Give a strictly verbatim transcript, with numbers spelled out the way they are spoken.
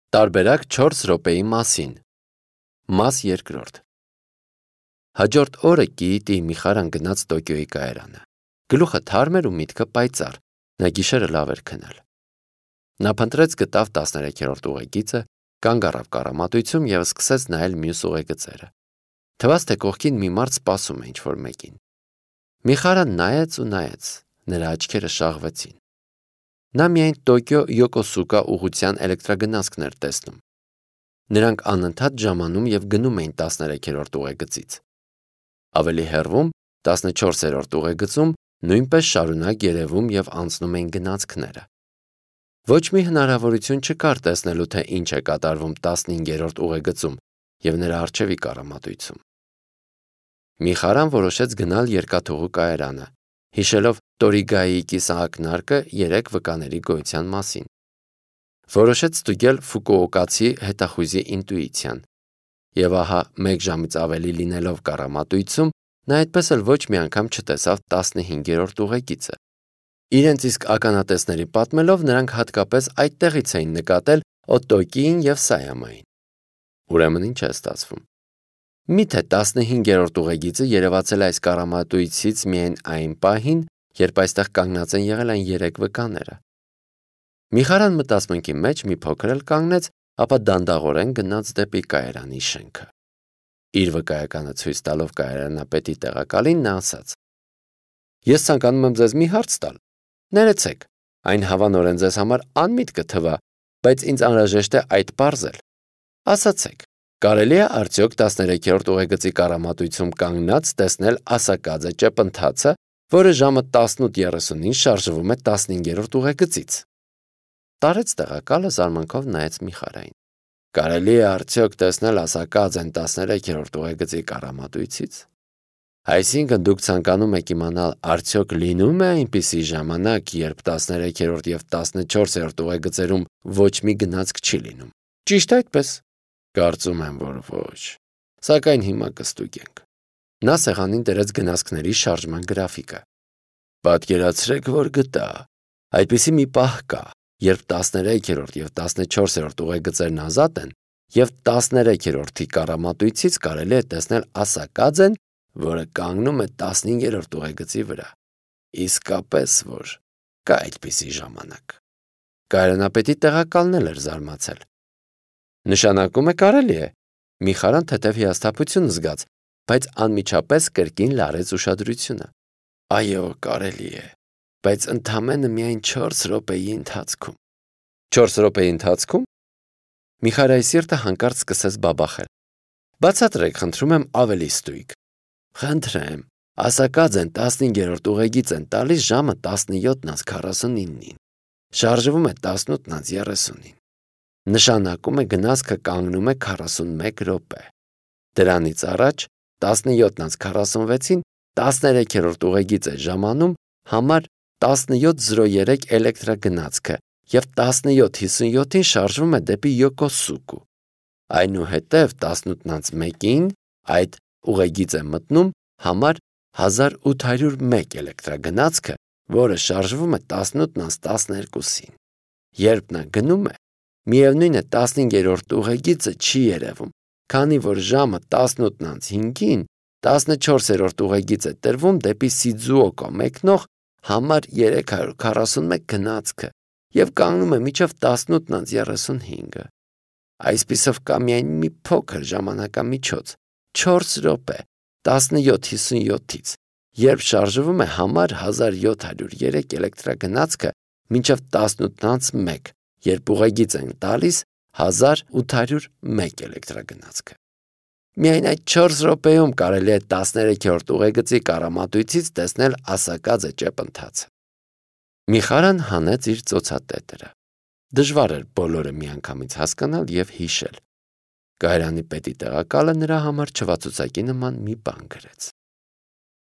Տարբերակ չորս րոպեի մասին։ Մաս երկրորդ։ Հաջորդ օրը Կիիտի Միխարան գնաց Տոկիոյի կայարանը։ Գլուխը թարմ էր ու միտքը պայծառ, նա գիշերը լավ էր քնել։ Նա փնտրեց գտավ տասներեքերորդ ուղեգիծը, կանգ առավ կառամատույցում և սկսեց նայել մյուս ուղեգծերը։ Թվաց, թե կողքին մի մարդ սպասում է ինչ-որ մեկին։ Միխարան նայեց ու նայեց, նրա աչքերը շաղվեցին։ Նա միայն Տոկիո Յոկոսուկա ուղղության էլեկտրագնացքն էր տեսնում։ Նրանք անընդհատ ժամանում և գնում էին տասներեքերորդ ուղեգծից։ Ավելի հեռվում, տասնչորսերորդ ուղեգծում նույնպես շարունակ երևում և անցնում էին գնացքները։ Ոչ մի հնարավորություն չկար տեսնելու, թե ինչ է կատարվում տասնհինգերորդ ուղեգծում և նրա առջևի կառամատույցում։ Միխարան որոշեց գնալ երկաթուղու կայարանը, հիշելով Տորիգայի կիսաակնարկը երեք վկաների գոյության մասին։ Որոշեց ստուգել ֆուկուոկացի հետախույզի ինտուիցիան։ Եվ ահա մեկ ժամից ավելի լինելով կառամատույցում, նա այդպես էլ ոչ մի անգամ չտեսավ տասնհինգերորդ ուղեգիծը։ Իրենց իսկ ականատեսների պատմելով, նրանք հատկապես այդտեղից էին նկատել Օտոկիին և Սայամային։ Ուրեմն ինչ է ստացվում։ Միթե տասնհինգերորդ ուղեգիծը երևացել է այս կառամատույցից միայն այն պահին, երբ այստեղ կանգնած են եղել այն երեք վկաները։ Միխարան մտածմունքի մեջ մի փոքր էլ կանգնեց, ապա դանդաղորեն գնաց դեպի կայարանի շենքը։ Իր վկայականը ցույց տալով կայարանապետի տեղակալին, նա ասաց. «Ես ցանկանում եմ ձեզ մի հարց տալ։ Ներեցեք, այն հավանորեն ձեզ համար անմիտ կթվա, բայց ինձ անհրաժեշտ է այդ պարզել։ Ասացեք, կարելի է արդյոք տասներեքերորդ ուղեգծի կառամատույցում կանգնած տեսնել ասակաձե ճեպընթացը, որը ժամը տասնութ երեսունին շարժվում է տասնհինգերորդ ուղեգծից»։ Տարեց տեղակալը զարմանքով նայեց Միխարային։ Կարելի է արդյոք տեսնել ասակաձեն տասներեքերորդ ուղեգծի կառամատույցից։ Այսինքն դուք ցանկանում եք իմանալ, արդյոք լինում է այնպիսի ժամանակ, երբ տասներեքերորդ և տասնչորսերորդ ուղեգծերում ոչ մի գնացք չի լինում։ Ճիշտ այդպես։ Կարծում եմ, որ ոչ։ Սակայն հիմա կստուգենք։ Նա սեղանին դրեց գնացքների շարժման գրաֆիկը։ Պատկերացրեք, որ գտա։ Այդպիսի մի պահ կա, երբ տասներեքերորդ և տասնչորսերորդ ուղեգծերն ազատ են, և տասներեքերորդի կառամատույցից կարելի է տեսնել ասակաձեն, որը կանգնում է տասնհինգերորդ ուղեգծի վրա։ Իսկապես որ կա այդպիսի ժամանակ։ Կայարանապետի տեղակալն էլ էր զարմացել։ Նշանակում է կարելի է։ Միխարան թեթև հիասթափություն զգաց, բայց անմիջապես կրկին լարեց ուշադրությունը։ Այո, կարելի է, բայց ընդամենը միայն չորս րոպեի ընթացքում։ Չորս րոպեի ընթացքում։ Միխարայի սիրտը հանկարծ սկսեց բաբախել։ Բացատրեք, խնդրում եմ, ավելի ստույգ։ Խնդրեմ, ասակաձեն տասնհինգերորդ ուղեգիծ են տալիս ժամը տասնյոթ քառասունինին։ Շարժվում է տասնութ երեսունին։ Նշանակում է գնացքը կանգնում է քառասունմեկ րոպե։ Դրանից առաջ տասնյոթ քառասունվեցին տասներեքերորդ ուղեգիծ է ժամանում համար տասնյոթ զրո երեք էլեկտրագնացքը և տասնյոթ հիսունյոթին շարժվում է դեպի Յոկոսուկու։ Այնուհետև տասնութ մեկին այդ ուղեգիծ է մտնում համար հազար ութ հարյուր մեկ էլեկտրագնացքը, որը շարժվում է տասնութ տասներկուսին։ Երբ նա գնում է, միևնույն է տասնհինգերորդ ուղեգիծը չի երևում, քանի որ ժամը տասնութ հինգին տասնչորսերորդ ուղեգիծ է տրվում դեպի Սիձուոկո մեկնող համար երեք հարյուր քառասունմեկ գնացքը և կանգնում է մինչև տասնութ երեսունհինգը։ Այսպիսով կա միայն մի փոքր ժամանակամիջոց՝ չորս րոպե տասնյոթ հիսունյոթից, երբ շարժվում է համար հազար յոթ հարյուր երեք էլեկտրագնացքը մինչև տասնութ մեկ, երբ ուղեգիծ են տալիս հազար ութ հարյուր մեկ էլեկտրագնացքը։ Միայն այդ չորս րոպեում կարելի է տասներեքերորդ ուղեգծի կառամատույցից տեսնել ասակաձե ճեպընթացը։ Միխարան հանեց իր ծոցատետերը։ Դժվար էր բոլորը միանգամից հասկանալ և հիշել։ Կայարանի պետի տեղակալը նրա համար չվացուցակի նման մի բան գրեց։